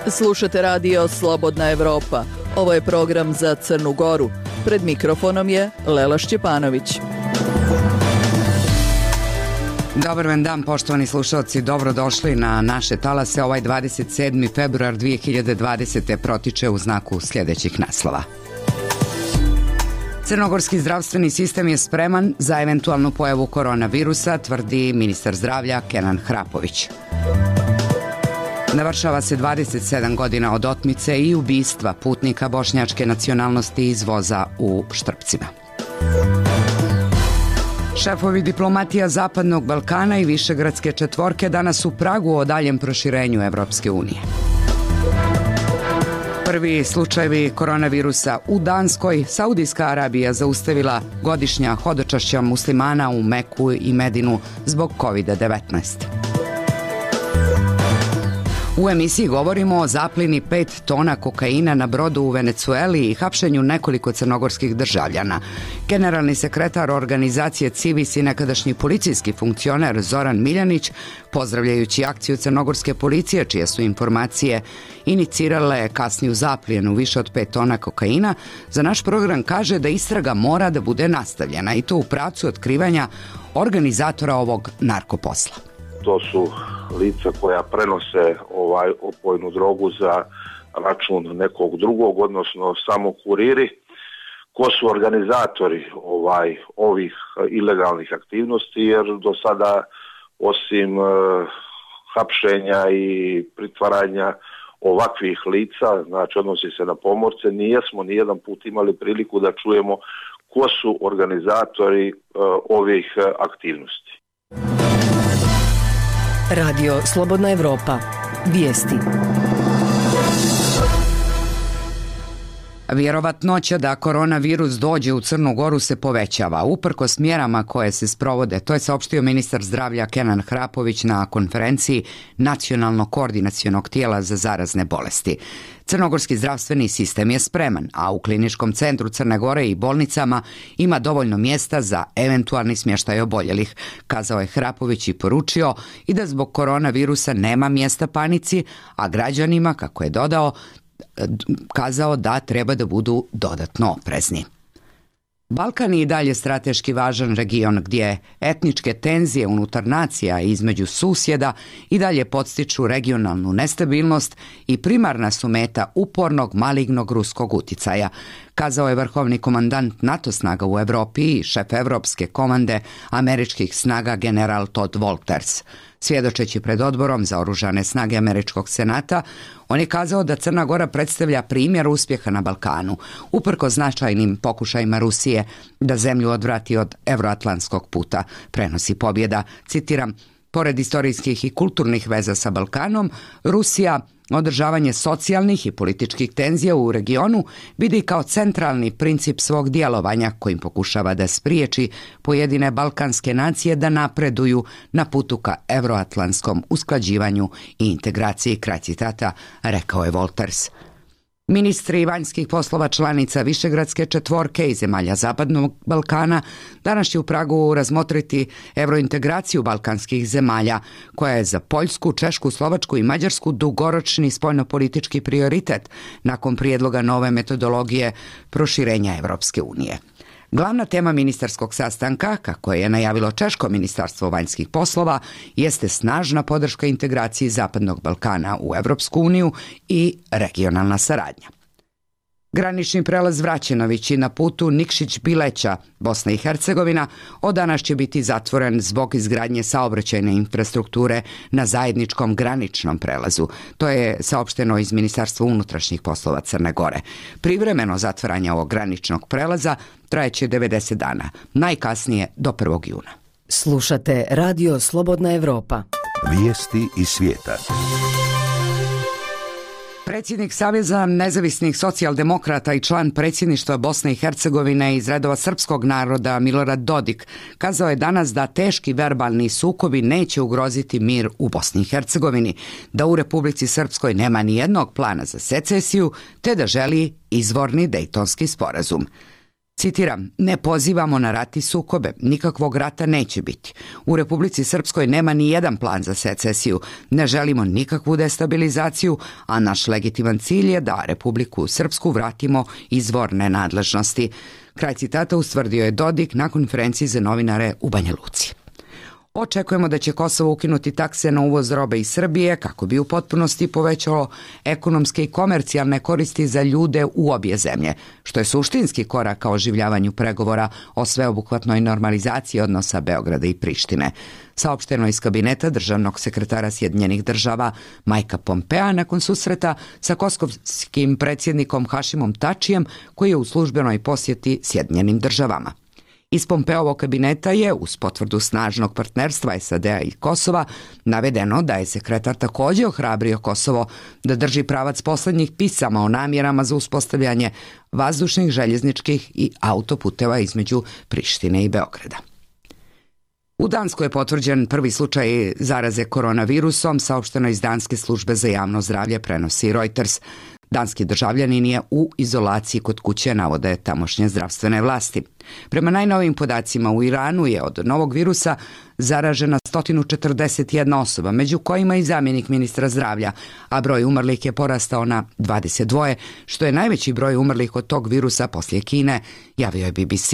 Slušate radio Slobodna Evropa. Ovo je program za Crnu Goru. Pred mikrofonom je Lela Šćepanović. Dobar vam dan, poštovani slušalci, dobrodošli na naše talase. Ovaj 27. februar 2020. protiče u znaku sljedećih naslova. Crnogorski zdravstveni sistem je spreman za eventualnu pojavu koronavirusa, tvrdi ministar zdravlja Kenan Hrapović. Navršava se 27 godina od otmice i ubistva putnika bošnjačke nacionalnosti iz voza u Štrpcima. Šefovi diplomatija Zapadnog Balkana i Višegradske četvorke danas u Pragu o daljem proširenju Evropske unije. Prvi slučajevi koronavirusa u Danskoj. Saudijska Arabija zaustavila godišnja hodočašća muslimana u Meku i Medinu zbog COVID-19. U emisiji govorimo o zaplini 5 tona kokaina na brodu u Venecueli i hapšenju nekoliko crnogorskih državljana. Generalni sekretar organizacije Civis i nekadašnji policijski funkcioner Zoran Miljanić, pozdravljajući akciju crnogorske policije, čije su informacije inicirale kasniju zaplijenu više od 5 tona kokaina, za naš program kaže da istraga mora da bude nastavljena i to u pravcu otkrivanja organizatora ovog narkoposla. To su lica koja prenose opojnu drogu za račun nekog drugog, odnosno samo kuriri. Ko su organizatori ovih ilegalnih aktivnosti, jer do sada osim hapšenja i pritvaranja ovakvih lica, znači odnosi se na pomorce, nismo nijedan put imali priliku da čujemo ko su organizatori ovih aktivnosti. Radio Slobodna Evropa. Vijesti. Vjerovatnoća da koronavirus dođe u Crnu Goru se povećava, uprkos mjerama koje se sprovode. To je saopštio ministar zdravlja Kenan Hrapović na konferenciji Nacionalnog koordinacionog tijela za zarazne bolesti. Crnogorski zdravstveni sistem je spreman, a u kliničkom centru Crne Gore i bolnicama ima dovoljno mjesta za eventualni smještaj oboljelih, kazao je Hrapović i poručio i da zbog koronavirusa nema mjesta panici, a građanima, kako je kazao da treba da budu dodatno oprezni. Balkan je i dalje strateški važan region gdje etničke tenzije unutar nacija i između susjeda i dalje podstiču regionalnu nestabilnost i primarna su meta upornog malignog ruskog uticaja, kazao je vrhovni komandant NATO snaga u Evropi i šef Evropske komande američkih snaga general Todd Wolters. Svjedočeći pred odborom za oružane snage američkog senata, on je kazao da Crna Gora predstavlja primjer uspjeha na Balkanu, uprkos značajnim pokušajima Rusije da zemlju odvrati od evroatlantskog puta, prenosi Pobjeda. Citiram, pored istorijskih i kulturnih veza sa Balkanom, Rusija održavanje socijalnih i političkih tenzija u regionu vidi kao centralni princip svog djelovanja kojim pokušava da spriječi pojedine balkanske nacije da napreduju na putu ka evroatlantskom usklađivanju i integraciji, kraj citata, rekao je Wolters. Ministri vanjskih poslova članica Višegradske četvorke i zemalja Zapadnog Balkana danas će u Pragu razmotriti evrointegraciju balkanskih zemalja, koja je za Poljsku, Češku, Slovačku i Mađarsku dugoročni spoljnopolitički prioritet nakon prijedloga nove metodologije proširenja Evropske unije. Glavna tema ministarskog sastanka, kako je najavilo Češko ministarstvo vanjskih poslova, jeste snažna podrška integraciji Zapadnog Balkana u Evropsku uniju i regionalna saradnja. Granični prelaz Vraćenovići na putu Nikšić-Bileća, Bosna i Hercegovina, od danas će biti zatvoren zbog izgradnje saobraćajne infrastrukture na zajedničkom graničnom prelazu. To je saopšteno iz Ministarstva unutrašnjih poslova Crne Gore. Privremeno zatvaranje ovog graničnog prelaza trajeće 90 dana, najkasnije do 1. juna. Slušate Radio Slobodna Evropa. Vijesti iz svijeta. Predsjednik Saveza nezavisnih socijaldemokrata i član predsjedništva Bosne i Hercegovine iz redova srpskog naroda Milorad Dodik kazao je danas da teški verbalni sukobi neće ugroziti mir u Bosni i Hercegovini, da u Republici Srpskoj nema ni jednog plana za secesiju, te da želi izvorni Dejtonski sporazum. Citiram, ne pozivamo na rat i sukobe, nikakvog rata neće biti. U Republici Srpskoj nema ni jedan plan za secesiju, ne želimo nikakvu destabilizaciju, a naš legitiman cilj je da Republiku Srpsku vratimo izvorne nadležnosti. Kraj citata ustvrdio je Dodik na konferenciji za novinare u Banja Luci. Očekujemo da će Kosovo ukinuti takse na uvoz robe iz Srbije kako bi u potpunosti povećalo ekonomske i komercijalne koristi za ljude u obje zemlje, što je suštinski korak ka oživljavanju pregovora o sveobuhvatnoj normalizaciji odnosa Beograda i Prištine. Saopšteno iz kabineta državnog sekretara Sjedinjenih država Majka Pompea nakon susreta sa kosovskim predsjednikom Hašimom Tačijem koji je u službenoj posjeti Sjedinjenim državama. Iz Pompeovog kabineta je, uz potvrdu snažnog partnerstva SAD-a i Kosova, navedeno da je sekretar također ohrabrio Kosovo da drži pravac poslednjih pisama o namjerama za uspostavljanje vazdušnih, željezničkih i autoputeva između Prištine i Beograda. U Danskoj je potvrđen prvi slučaj zaraze koronavirusom, saopšteno iz Danske službe za javno zdravlje, prenosi Reuters. Danski državljanin je u izolaciji kod kuće, navode tamošnje zdravstvene vlasti. Prema najnovijim podacima, u Iranu je od novog virusa zaražena 141 osoba, među kojima i zamjenik ministra zdravlja, a broj umrlih je porastao na 22, što je najveći broj umrlih od tog virusa poslije Kine, javio je BBC.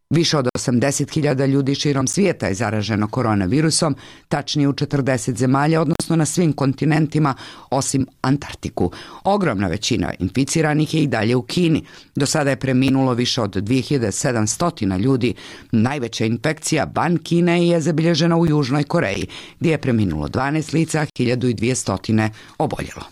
Više od 80.000 ljudi širom svijeta je zaraženo koronavirusom, tačnije u 40 zemalja, odnosno na svim kontinentima, osim Antarktiku. Ogromna većina inficiranih je i dalje u Kini. Do sada je preminulo više od 2700 ljudi. Najveća infekcija van Kine je zabilježena u Južnoj Koreji, gdje je preminulo 12 lica, 1200 oboljelo.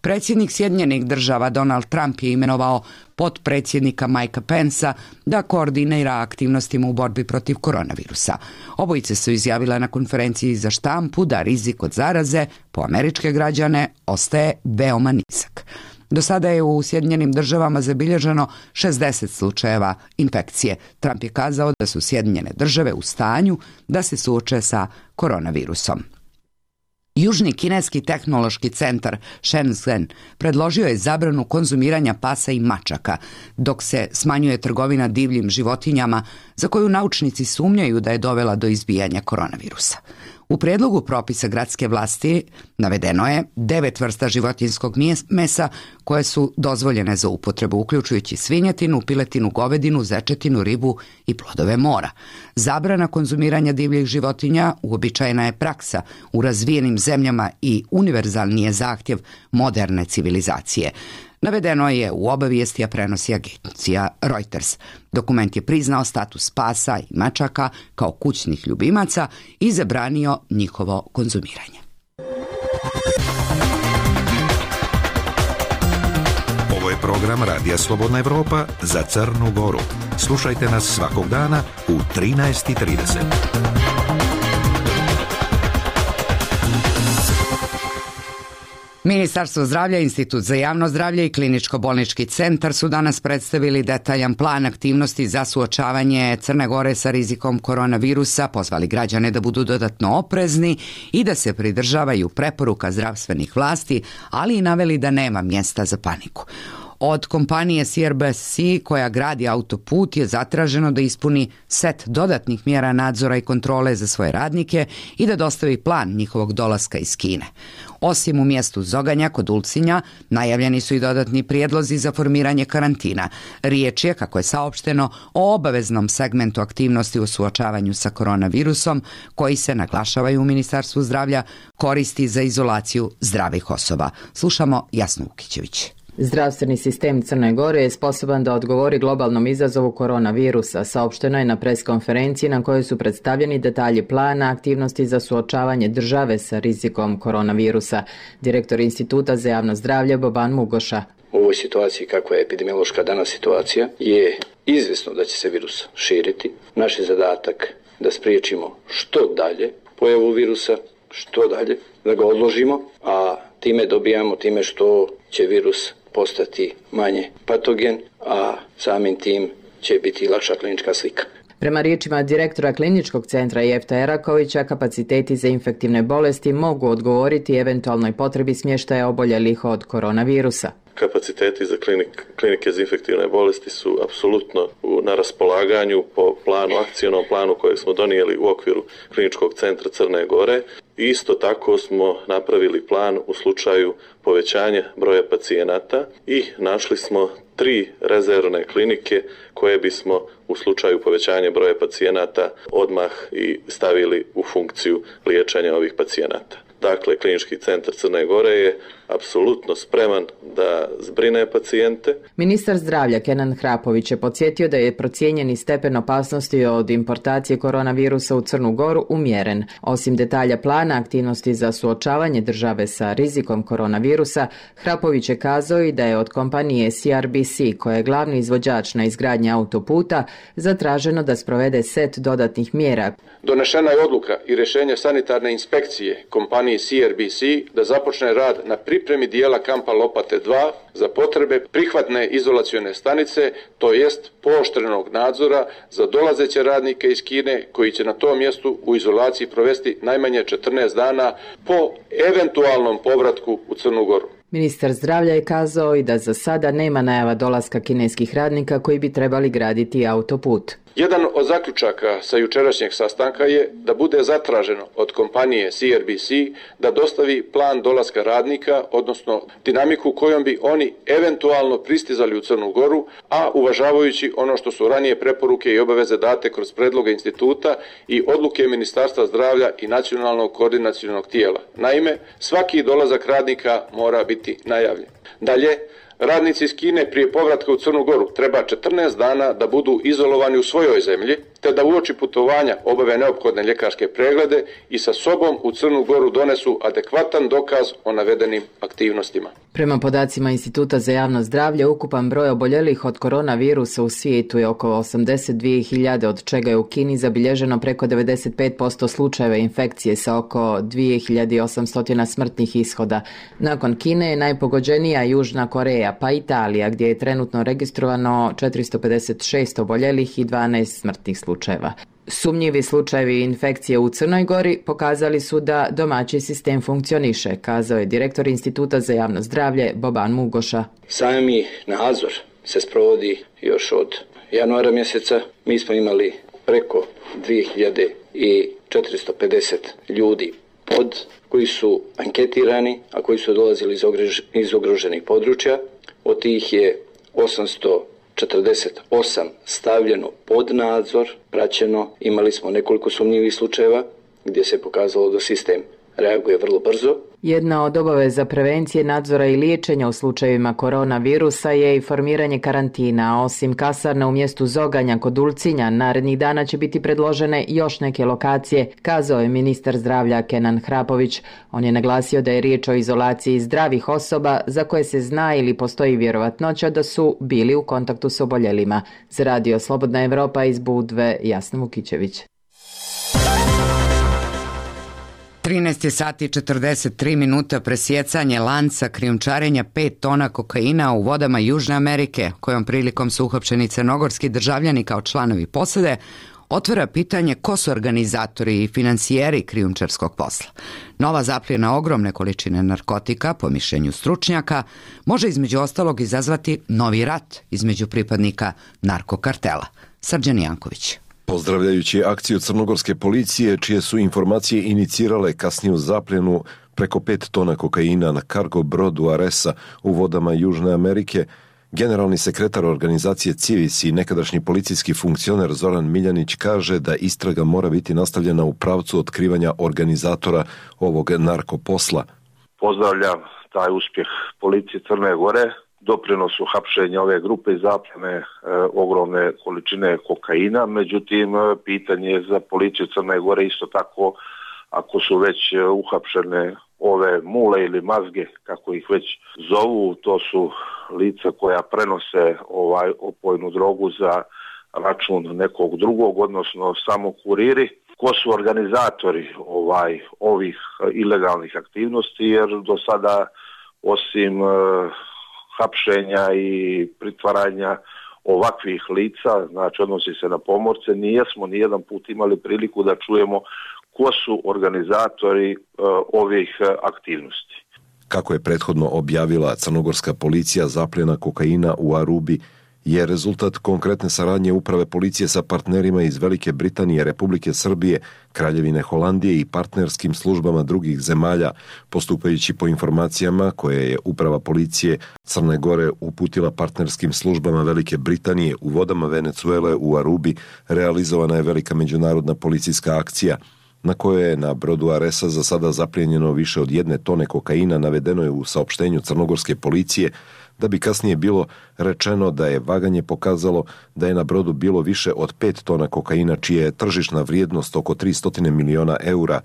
Predsjednik Sjedinjenih država Donald Trump je imenovao potpredsjednika Mikea Pensa da koordinira aktivnostima u borbi protiv koronavirusa. Obojice su izjavile na konferenciji za štampu da rizik od zaraze po američke građane ostaje veoma nizak. Do sada je u Sjedinjenim državama zabilježeno 60 slučajeva infekcije. Trump je kazao da su Sjedinjene države u stanju da se suoče sa koronavirusom. Južni kineski tehnološki centar Shenzhen predložio je zabranu konzumiranja pasa i mačaka, dok se smanjuje trgovina divljim životinjama za koju naučnici sumnjaju da je dovela do izbijanja koronavirusa. U prijedlogu propisa gradske vlasti navedeno je 9 vrsta životinjskog mesa koje su dozvoljene za upotrebu, uključujući svinjetinu, piletinu, govedinu, zečetinu, ribu i plodove mora. Zabrana konzumiranja divljih životinja uobičajena je praksa u razvijenim zemljama i univerzalni je zahtjev moderne civilizacije. Navedeno je u obavijesti, a prenosi agencija Reuters. Dokument je priznao status pasa i mačaka kao kućnih ljubimaca i zabranio njihovo konzumiranje. Ovo je program Radija Slobodna Evropa za Crnu Goru. Slušajte nas svakog dana u 13:30. Ministarstvo zdravlja, Institut za javno zdravlje i Kliničko-bolnički centar su danas predstavili detaljan plan aktivnosti za suočavanje Crne Gore sa rizikom koronavirusa, pozvali građane da budu dodatno oprezni i da se pridržavaju preporuka zdravstvenih vlasti, ali i naveli da nema mjesta za paniku. Od kompanije CRBC koja gradi autoput je zatraženo da ispuni set dodatnih mjera nadzora i kontrole za svoje radnike i da dostavi plan njihovog dolaska iz Kine. Osim u mjestu Zoganja kod Ulcinja, najavljeni su i dodatni prijedlozi za formiranje karantina. Riječ je, kako je saopšteno, o obaveznom segmentu aktivnosti u suočavanju sa koronavirusom, koji se, naglašavaju u Ministarstvu zdravlja, koristi za izolaciju zdravih osoba. Slušamo Jasnu Ukićević. Zdravstveni sistem Crne Gore je sposoban da odgovori globalnom izazovu koronavirusa, saopšteno je na preskonferenciji na kojoj su predstavljeni detalji plana aktivnosti za suočavanje države sa rizikom koronavirusa. Direktor Instituta za javno zdravlje Boban Mugoša. U ovoj situaciji, kakva je epidemiološka danas situacija, je izvjesno da će se virus širiti. Naš je zadatak da spriječimo što dalje pojavu virusa, što dalje, da ga odložimo, a time dobijamo time što će virus postati manje patogen, a samim tim će biti lakša klinička slika. Prema riječima direktora kliničkog centra Jefta Erakovića, kapaciteti za infektivne bolesti mogu odgovoriti eventualnoj potrebi smještaja oboljelih od koronavirusa. Kapaciteti za klinike za infektivne bolesti su apsolutno na raspolaganju po planu, akcijnom planu kojeg smo donijeli u okviru kliničkog centra Crne Gore. Isto tako smo napravili plan u slučaju povećanja broja pacijenata i našli smo 3 rezervne klinike koje bismo u slučaju povećanja broja pacijenata odmah i stavili u funkciju liječenja ovih pacijenata. Dakle, klinički centar Crne Gore je apsolutno spreman da zbrine pacijente. Ministar zdravlja Kenan Hrapović je podsjetio da je procijenjeni stepen opasnosti od importacije koronavirusa u Crnu Goru umjeren. Osim detalja plana aktivnosti za suočavanje države sa rizikom koronavirusa, Hrapović je kazao i da je od kompanije CRBC, koja je glavni izvođač na izgradnji autoputa, zatraženo da sprovede set dodatnih mjera. Donešena je odluka i rješenje sanitarne inspekcije kompanije CRBC da započne rad na pripremi dijela kampa Lopate 2 za potrebe prihvatne izolacione stanice, to jest pooštrenog nadzora za dolazeće radnike iz Kine koji će na tom mjestu u izolaciji provesti najmanje 14 dana po eventualnom povratku u Crnu Goru. Ministar zdravlja je kazao i da za sada nema najava dolaska kineskih radnika koji bi trebali graditi autoput. Jedan od zaključaka sa jučerašnjeg sastanka je da bude zatraženo od kompanije CRBC da dostavi plan dolaska radnika, odnosno dinamiku kojom bi oni eventualno pristizali u Crnu Goru, a uvažavajući ono što su ranije preporuke i obaveze date kroz predloge instituta i odluke Ministarstva zdravlja i nacionalnog koordinacionog tijela. Naime, svaki dolazak radnika mora biti najavljen. Dalje, radnici iz Kine prije povratka u Crnu Goru treba 14 dana da budu izolovani u svojoj zemlji, te da uoči putovanja obave neophodne ljekarske preglede i sa sobom u Crnu Goru donesu adekvatan dokaz o navedenim aktivnostima. Prema podacima Instituta za javno zdravlje, ukupan broj oboljelih od koronavirusa u svijetu je oko 82.000, od čega je u Kini zabilježeno preko 95% slučajeva infekcije sa oko 2.800 smrtnih ishoda. Nakon Kine je najpogođenija Južna Koreja, pa Italija, gdje je trenutno registrovano 456 oboljelih i 12 smrtnih slučajeva. Sumnjivi slučajevi infekcije u Crnoj Gori pokazali su da domaći sistem funkcioniše, kazao je direktor Instituta za javno zdravlje Boban Mugoša. Sami nadzor se sprovodi još od januara mjeseca. Mi smo imali preko 2450 ljudi koji su anketirani, a koji su dolazili iz ugroženih područja. Od tih je 848 stavljeno pod nadzor, praćeno. Imali smo nekoliko sumnjivih slučajeva gdje se pokazalo da sistem reaguje vrlo brzo. Jedna od obaveza prevencije, nadzora i liječenja u slučajevima koronavirusa je i formiranje karantina. Osim kasarna u mjestu Zoganja kod Ulcinja, narednih dana će biti predložene još neke lokacije, kazao je ministar zdravlja Kenan Hrapović. On je naglasio da je riječ o izolaciji zdravih osoba za koje se zna ili postoji vjerovatnoća da su bili u kontaktu s oboljelima. Za Radio Slobodna Evropa iz Budve, Jasna Vukićević. 13 sati 43 minuta, presjecanje lanca krijumčarenja 5 tona kokaina u vodama Južne Amerike, kojom prilikom su uhapšeni crnogorski državljani kao članovi posade, otvara pitanje ko su organizatori i financijeri krijumčarskog posla. Nova zapljena ogromne količine narkotika, po mišljenju stručnjaka, može između ostalog izazvati novi rat između pripadnika narkokartela. Srđan Janković. Pozdravljajući akciju crnogorske policije, čije su informacije inicirale kasniju zapljenu preko 5 tona kokaina na kargo brodu Aresa u vodama Južne Amerike, generalni sekretar organizacije Civis i nekadašnji policijski funkcioner Zoran Miljanić kaže da istraga mora biti nastavljena u pravcu otkrivanja organizatora ovog narkoposla. Pozdravljam taj uspjeh policije Crne Gore, doprinosu hapšenja ove grupe i zapljene ogromne količine kokaina. Međutim, pitanje je za policiju Crne Gore isto tako, ako su već uhapšene ove mule ili mazge, kako ih već zovu, to su lica koja prenose opojnu drogu za račun nekog drugog, odnosno samo kuriri. Ko su organizatori ovih ilegalnih aktivnosti, jer do sada osim hapšenja i pritvaranja ovakvih lica, znači odnosi se na pomorce, nijesmo nijedan put imali priliku da čujemo ko su organizatori ovih aktivnosti. Kako je prethodno objavila crnogorska policija, zapljena kokaina u Arubi je rezultat konkretne saradnje uprave policije sa partnerima iz Velike Britanije, Republike Srbije, Kraljevine Holandije i partnerskim službama drugih zemalja, postupajući po informacijama koje je uprava policije Crne Gore uputila partnerskim službama Velike Britanije u vodama Venecuele u Arubi. Realizovana je velika međunarodna policijska akcija na kojoj je na brodu Aresa za sada zaplijenjeno više od 1 tone kokaina, navedeno je u saopštenju crnogorske policije, da bi kasnije bilo rečeno da je vaganje pokazalo da je na brodu bilo više od 5 tona kokaina, čija je tržišna vrijednost oko 300 miliona eura.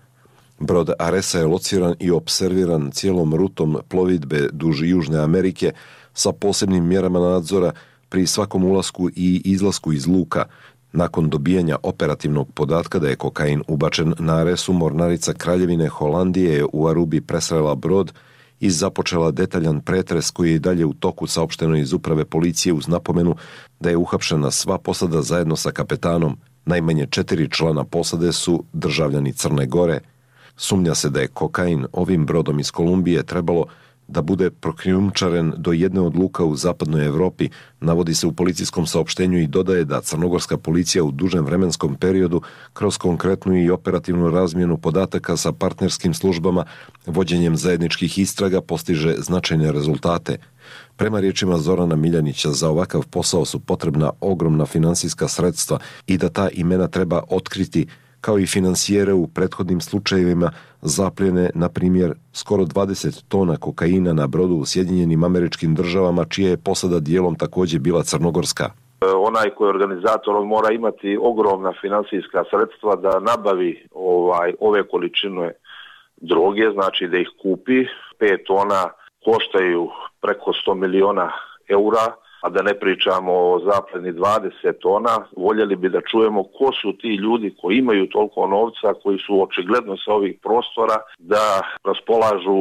Brod Aresa je lociran i opserviran cijelom rutom plovidbe duž Južne Amerike sa posebnim mjerama nadzora pri svakom ulasku i izlasku iz luka. Nakon dobijanja operativnog podatka da je kokain ubačen na Aresu, mornarica Kraljevine Holandije je u Arubi presrela brod i započela detaljan pretres koji je i dalje u toku, saopšteno iz uprave policije uz napomenu da je uhapšena sva posada zajedno sa kapetanom. Najmanje 4 člana posade su državljani Crne Gore. Sumnja se da je kokain ovim brodom iz Kolumbije trebalo da bude prokrijumčaren do jedne od luka u zapadnoj Evropi, navodi se u policijskom saopštenju i dodaje da crnogorska policija u dužem vremenskom periodu kroz konkretnu i operativnu razmjenu podataka sa partnerskim službama, vođenjem zajedničkih istraga postiže značajne rezultate. Prema riječima Zorana Miljanića, za ovakav posao su potrebna ogromna finansijska sredstva i da ta imena treba otkriti, kao i finansijere u prethodnim slučajevima zapljene, na primjer, skoro 20 tona kokaina na brodu u Sjedinjenim Američkim Državama, čija je posada dijelom također bila crnogorska. Onaj koji je organizator, on mora imati ogromna finansijska sredstva da nabavi ove količine droge, znači da ih kupi. 5 tona koštaju preko 100 miliona eura, a da ne pričamo o zapljeni 20 tona. Voljeli bi da čujemo ko su ti ljudi koji imaju toliko novca, koji su očigledno sa ovih prostora da raspolažu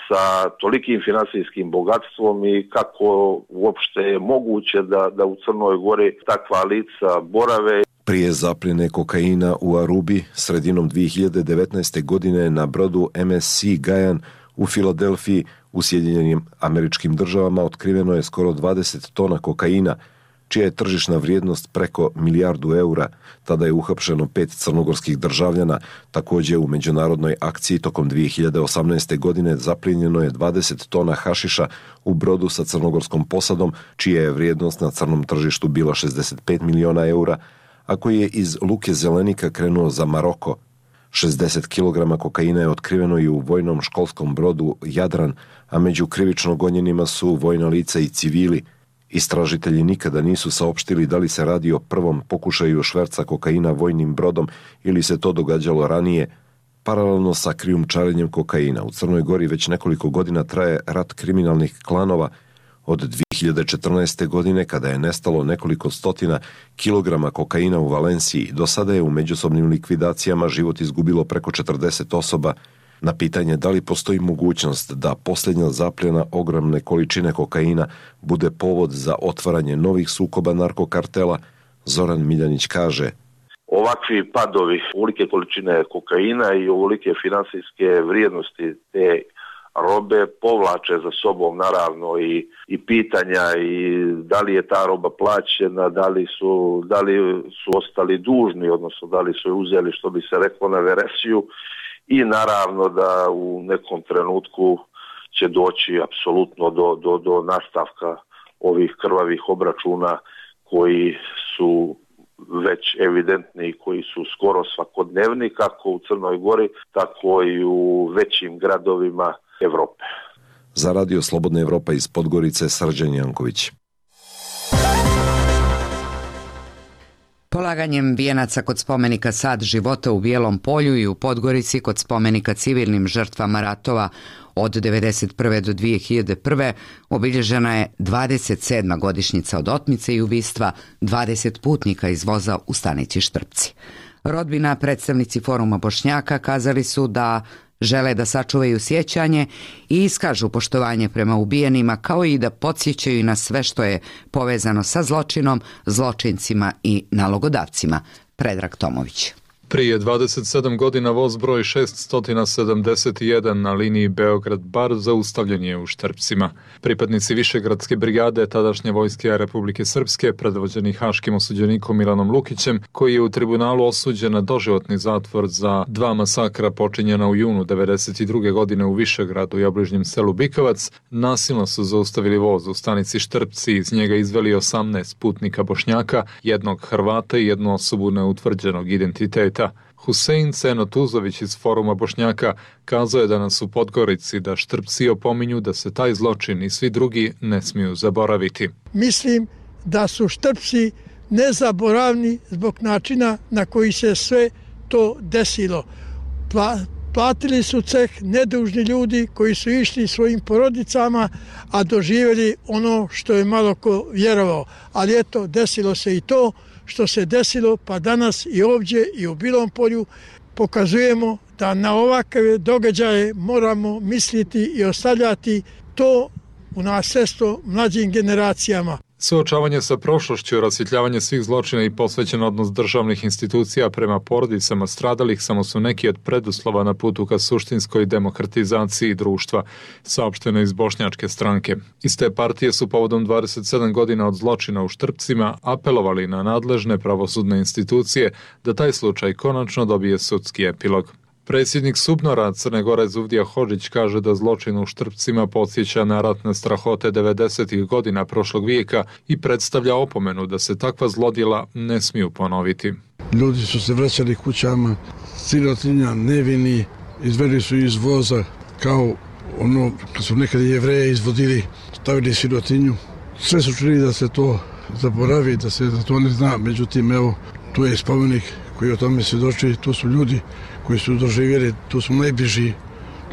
sa tolikim finansijskim bogatstvom i kako uopšte je moguće da u Crnoj Gori takva lica borave. Prije zapljene kokaina u Arubi sredinom 2019. godine na brodu MSC Gajan u Filadelfiji u Sjedinjenim Američkim Državama otkriveno je skoro 20 tona kokaina, čija je tržišna vrijednost preko milijardu eura. Tada je uhapšeno 5 crnogorskih državljana. Također u međunarodnoj akciji tokom 2018. godine zaplijenjeno je 20 tona hašiša u brodu sa crnogorskom posadom, čija je vrijednost na crnom tržištu bila 65 miliona eura, a koji je iz luke Zelenika krenuo za Maroko. 60 kg kokaina je otkriveno i u vojnom školskom brodu Jadran, a među krivično gonjenima su vojna lica i civili. Istražitelji nikada nisu saopštili da li se radi o prvom pokušaju šverca kokaina vojnim brodom ili se to događalo ranije. Paralelno sa krijumčarenjem kokaina u Crnoj Gori već nekoliko godina traje rat kriminalnih klanova. Od 2014. godine, kada je nestalo nekoliko stotina kilograma kokaina u Valenciji, do sada je u međusobnim likvidacijama život izgubilo preko 40 osoba. Na pitanje da li postoji mogućnost da posljednja zapljena ogromne količine kokaina bude povod za otvaranje novih sukoba narkokartela, Zoran Miljanić kaže: ovakvi padovi, ovolike količine kokaina i ovolike finansijske vrijednosti te robe povlače za sobom naravno i pitanja i da li je ta roba plaćena, da li su ostali dužni, odnosno da li su je uzeli, što bi se reklo, na veresiju, i naravno da u nekom trenutku će doći apsolutno do nastavka ovih krvavih obračuna koji su već evidentni i koji su skoro svakodnevni, kako u Crnoj Gori, tako i u većim gradovima Evrope. Za Radio Slobodna Evropa iz Podgorice, Srđan Janković. Polaganjem vijenaca kod spomenika Sad života u Bijelom Polju i u Podgorici kod spomenika civilnim žrtvama ratova od 1991. do 2001. obilježena je 27. godišnjica od otmice i ubistva 20 putnika iz voza u stanici Štrpci. Rodbina, predstavnici Foruma Bošnjaka kazali su da Žele da sačuvaju sjećanje i iskažu poštovanje prema ubijenima, kao i da podsjećaju na sve što je povezano sa zločinom, zločincima i nalogodavcima. Predrag Tomović. Prije 27 godina voz broj 671 na liniji Beograd-Bar zaustavljen je u Štrpcima. Pripadnici Višegradske brigade tadašnje vojske Republike Srpske, predvođeni haškim osuđenikom Milanom Lukićem, koji je u tribunalu osuđen na doživotni zatvor za 2 masakra počinjena u junu 1992. godine u Višegradu i obližnjem selu Bikovac, nasilno su zaustavili voz u stanici Štrpci i iz njega izveli 18 putnika Bošnjaka, jednog Hrvata i jednu osobu neutvrđenog identiteta. Husein Ceno Tuzović iz Foruma Bošnjaka kazao je danas u Podgorici da Štrpci opominju da se taj zločin i svi drugi ne smiju zaboraviti. Mislim da su Štrpci nezaboravni zbog načina na koji se sve to desilo. Platili su ceh nedužni ljudi koji su išli svojim porodicama, a doživjeli ono što je malo ko vjerovao. Ali eto, desilo se i to što se desilo, pa danas i ovdje i u Bilom Polju pokazujemo da na ovakve događaje moramo misliti i ostavljati to u nasljedstvo mlađim generacijama. Suočavanje sa prošlošću, rasvjetljavanje svih zločina i posvećen odnos državnih institucija prema porodicama stradalih samo su neki od preduslova na putu ka suštinskoj demokratizaciji društva, saopšteno iz Bošnjačke stranke. Iz te partije su povodom 27 godina od zločina u Štrpcima apelovali na nadležne pravosudne institucije da taj slučaj konačno dobije sudski epilog. Predsjednik Subnora Crne Gore Zuvdija Hodžić kaže da zločin u Štrpcima podsjeća na ratne strahote 90. godina prošlog vijeka i predstavlja opomenu da se takva zlodjela ne smiju ponoviti. Ljudi su se vraćali kućama, sirotinja, nevini, izveli su iz voza kao ono kad su nekad Jevreje izvodili, stavili sirotinju. Sve su čuli da se to zaboravi, da se to ne zna, međutim evo tu je spomenik koji o tome svjedoči, to su ljudi koji su doživjeli, to su najbliži,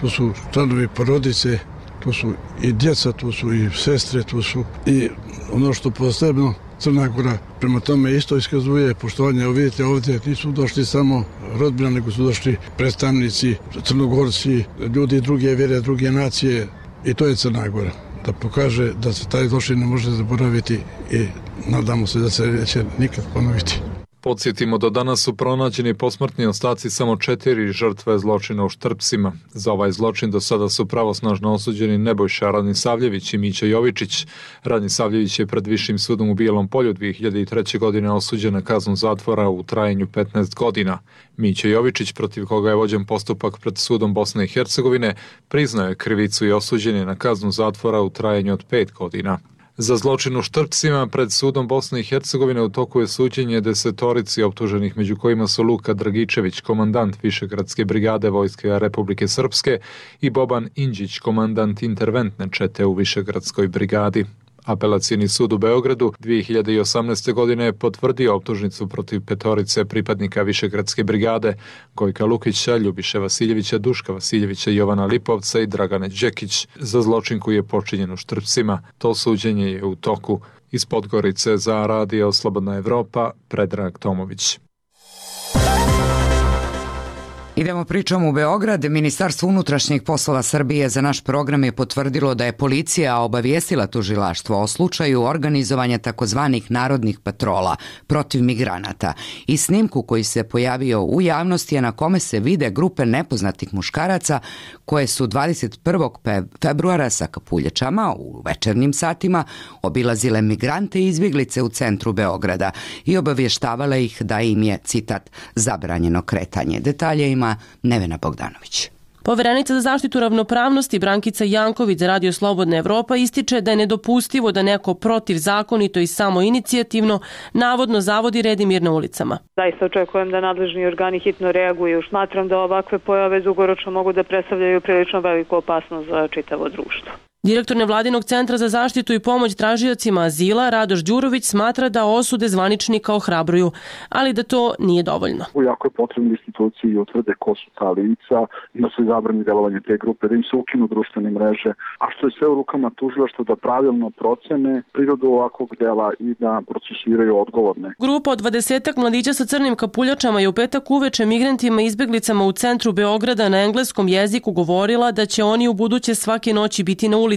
to su članovi porodice, to su i djeca, to su i sestre, to su i ono što posebno Crna Gora prema tome isto iskazuje poštovanje. Evo vidite ovdje nisu došli samo rodbina, nego su došli predstavnici, Crnogorci, ljudi druge vjere, druge nacije i to je Crna Gora. Da pokaže da se taj zločin ne može zaboraviti i nadamo se da se neće nikad ponoviti. Podsjetimo, do danas su pronađeni posmrtni ostaci samo 4 žrtve zločina u Štrpcima. Za ovaj zločin do sada su pravosnažno osuđeni Nebojša Radnisavljević i Mića Jovičić. Radnisavljević je pred Višim sudom u Bijelom Polju 2003. godine osuđen na kaznu zatvora u trajanju 15 godina. Mića Jovičić, protiv koga je vođen postupak pred sudom Bosne i Hercegovine, priznao je krivicu i osuđen je na kaznu zatvora u trajanju od 5 godina. Za zločin u Štrpcima pred sudom Bosne i Hercegovine u toku je suđenje 10 optuženih, među kojima su Luka Dragičević, komandant Višegradske brigade vojske Republike Srpske, i Boban Inđić, komandant interventne čete u Višegradskoj brigadi. Apelacijni sud u Beogradu 2018. godine je potvrdio optužnicu protiv 5 pripadnika Višegradske brigade, Gojka Lukića, Ljubiše Vasiljevića, Duška Vasiljevića, Jovana Lipovca i Dragane Đekić za zločin koji je počinjen u Štrpcima. To suđenje je u toku. Iz Podgorice za Radio Slobodna Evropa, Predrag Tomović. Idemo pričom u Beograd. Ministarstvo unutrašnjih poslova Srbije za naš program je potvrdilo da je policija obavijestila tužilaštvo o slučaju organizovanja takozvanih narodnih patrola protiv migranata i snimku koji se pojavio u javnosti, a na kome se vide grupe nepoznatih muškaraca koje su 21. februara sa kapuljačama u večernjim satima obilazile migrante i izbjeglice u centru Beograda i obavještavale ih da im je, citat, zabranjeno kretanje. Detalje ima Nevena Bogdanović. Poverenica za zaštitu ravnopravnosti Brankica Janković za Radio Slobodna Evropa ističe da je nedopustivo da neko protivzakonito i samoinicijativno navodno zavodi red i mir na ulicama. Zaista očekujem da nadležni organi hitno reaguju. Smatram da ovakve pojave dugoročno mogu da predstavljaju prilično veliku opasnost za čitavo društvo. Direktor nevladinog centra za zaštitu i pomoć tražiocima azila Radoš Đurović smatra da osude zvaničnika ohrabruju, ali da to nije dovoljno. Jako je potrebno instituciji utvrde ko su ta lica, da se zabrani delovanje te grupe, da im se ukinu društvene mreže, a što je sve u rukama tužilaštva da pravilno procene prirodu ovakvog dela i da procesuiraju odgovorne. Grupa od 20-ak mladića sa crnim kapuljačama je u petak uveče migrantima i izbeglicama u centru Beograda na engleskom jeziku govorila da će oni u buduće svake noći biti na ulicama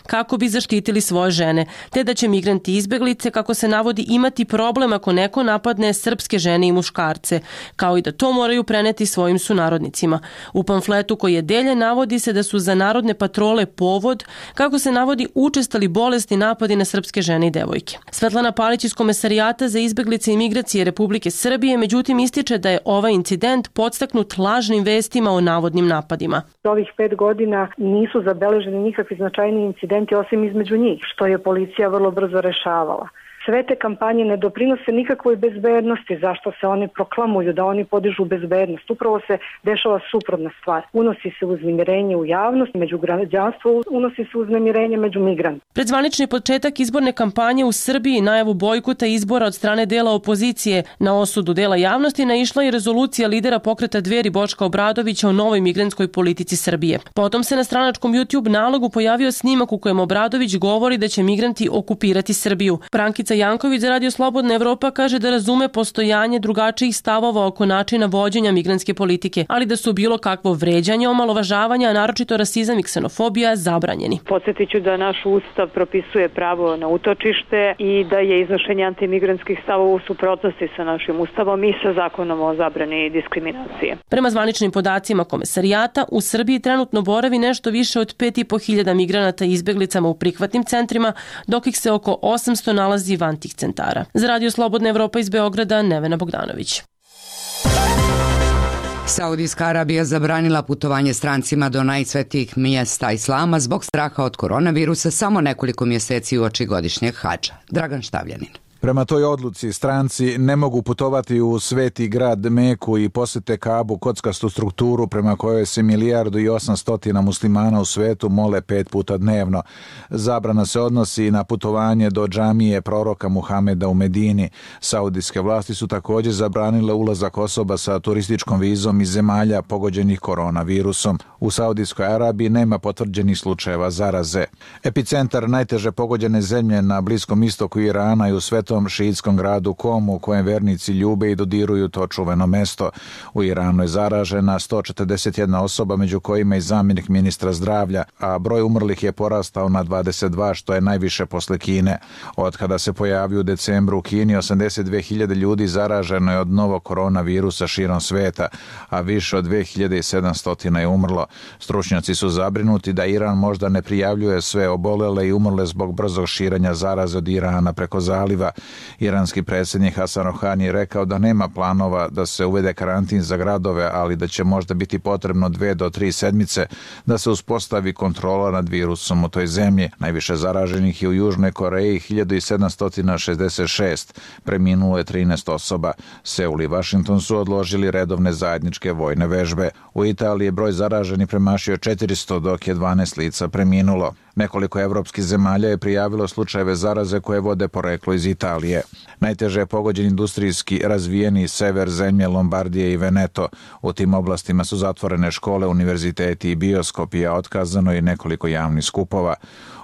kako bi zaštitili svoje žene, te da će migranti i izbeglice, kako se navodi, imati problem ako neko napadne srpske žene i muškarce, kao i da to moraju preneti svojim sunarodnicima. U pamfletu koji je deljen navodi se da su za narodne patrole povod, kako se navodi, učestali bolesni napadi na srpske žene i devojke. Svetlana Palić iz Komesarijata za izbeglice i migracije Republike Srbije međutim ističe da je ovaj incident podstaknut lažnim vestima o navodnim napadima. Ovih 5 godina nisu zabeleženi nikakvi značajni incidenti osim između njih, što je policija vrlo brzo rešavala. Sve te kampanje ne doprinose nikakvoj bezbednosti, zašto se oni proklamuju da oni podižu bezbednost. Upravo se dešava suprotna stvar. Unosi se uznemirenje u javnost, među građanstvo, unosi se uznemirenje među migrantima. Pred zvanični početak izborne kampanje u Srbiji, najavu bojkota izbora od strane dela opozicije, na osudu dela javnosti naišla i rezolucija lidera pokreta Dveri Boška Obradovića o novoj migrantskoj politici Srbije. Potom se na stranačkom YouTube nalogu pojavio snimak u kojem Obradović govori da će migranti okupirati Srbiju. Brankica Janković za Radio Slobodna Evropa kaže da razume postojanje drugačijih stavova oko načina vođenja migrantske politike, ali da su bilo kakvo vređanje, omalovažavanja, a naročito rasizam i ksenofobija zabranjeni. Podsjetiću da naš ustav propisuje pravo na utočište i da je iznošenje antimigrantskih stavova u suprotnosti sa našim ustavom i sa zakonom o zabrani diskriminacije. Prema zvaničnim podacima Komesarijata, u Srbiji trenutno boravi nešto više od 5.500 migranata i izbeglicama u prihvatnim centrima, dok ih se oko 800 nalazi van tih centara. Za Radio Slobodna Evropa iz Beograda, Nevena Bogdanović. Saudijska Arabija zabranila putovanje strancima do najsvetijih mjesta islama zbog straha od koronavirusa samo nekoliko mjeseci uoči godišnjeg hadža. Dragan Štavljanin. Prema toj odluci stranci ne mogu putovati u sveti grad Meku i posjete Kabu, kockastu strukturu prema kojoj se 1.800.000 muslimana u svetu mole 5 puta dnevno. Zabrana se odnosi na putovanje do džamije proroka Muhameda u Medini. Saudijske vlasti su također zabranile ulazak osoba sa turističkom vizom iz zemalja pogođenih koronavirusom. U Saudijskoj Arabiji nema potvrđenih slučajeva zaraze. Epicentar najteže pogođene zemlje na Bliskom istoku Irana i u svetom šiitskom gradu Komu, u kojem vernici ljube i dodiruju to čuveno mesto. U Iranu je zaražena 141 osoba, među kojima i zamjenik ministra zdravlja, a broj umrlih je porastao na 22, što je najviše posle Kine. Od kada se pojavio u decembru u Kini, 82.000 ljudi zaraženo je od novog koronavirusa širom sveta, a više od 2.700 je umrlo. Stručnjaci su zabrinuti da Iran možda ne prijavljuje sve obolele i umrle zbog brzog širenja zaraze od Irana preko zaliva. Iranski predsjednik Hasan Rohani je rekao da nema planova da se uvede karantin za gradove, ali da će možda biti potrebno 2 do 3 sedmice da se uspostavi kontrola nad virusom u toj zemlji. Najviše zaraženih je u Južnoj Koreji, 1.766, preminulo je 13 osoba. Seul i Washington su odložili redovne zajedničke vojne vežbe. U Italiji je broj zaraženih premašio 400, dok je 12 lica preminulo. Nekoliko evropskih zemalja je prijavilo slučajeve zaraze koje vode poreklo iz Italije. Najteže je pogođen industrijski razvijeni sever zemlje Lombardije i Veneto. U tim oblastima su zatvorene škole, univerziteti i bioskopi, a otkazano i nekoliko javnih skupova.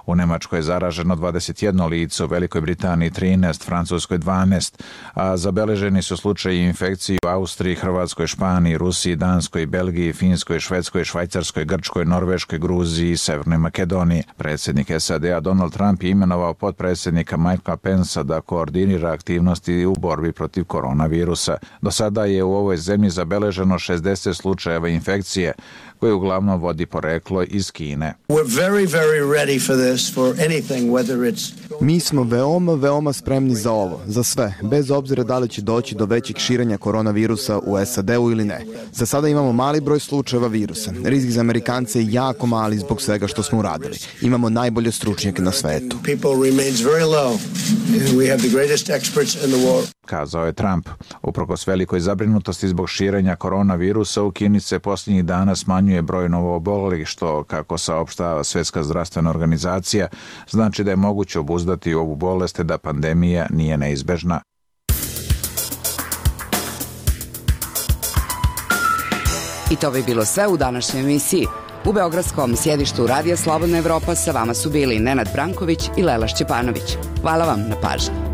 U Nemačkoj je zaraženo 21 lice, u Velikoj Britaniji 13, Francuskoj 12, a zabeleženi su slučaji infekcije u Austriji, Hrvatskoj, Španiji, Rusiji, Danskoj, Belgiji, Finskoj, Švedskoj, Švajcarskoj, Grčkoj, Norveškoj, Gruziji i Severnoj Makedoniji. Predsjednik SAD-a Donald Trump je imenovao potpredsjednika Mikea Pensa da koordinira aktivnosti u borbi protiv koronavirusa. Do sada je u ovoj zemlji zabeleženo 60 slučajeva infekcije, koje uglavnom vodi poreklo iz Kine. Mi smo veoma spremni za ovo, za sve, bez obzira da li će doći do većeg širenja koronavirusa u SAD-u ili ne. Za sada imamo mali broj slučajeva virusa. Rizik za Amerikance je jako mali zbog svega što smo uradili. Imamo najbolje stručnjake na svetu. kazao je Trump. Uprkos velikoj zabrinutosti zbog širenja koronavirusa, u Kini se posljednjih dana smanjuje broj novoobolelih, što, kako saopštava Svjetska zdravstvena organizacija, znači da je moguće obuzdati ovu bolest te da pandemija nije neizbežna. I to bi bilo sve u današnjoj emisiji. U beogradskom sjedištu Radija Slobodna Evropa sa vama su bili Nenad Branković i Lela Šćepanović. Hvala vam na pažnji.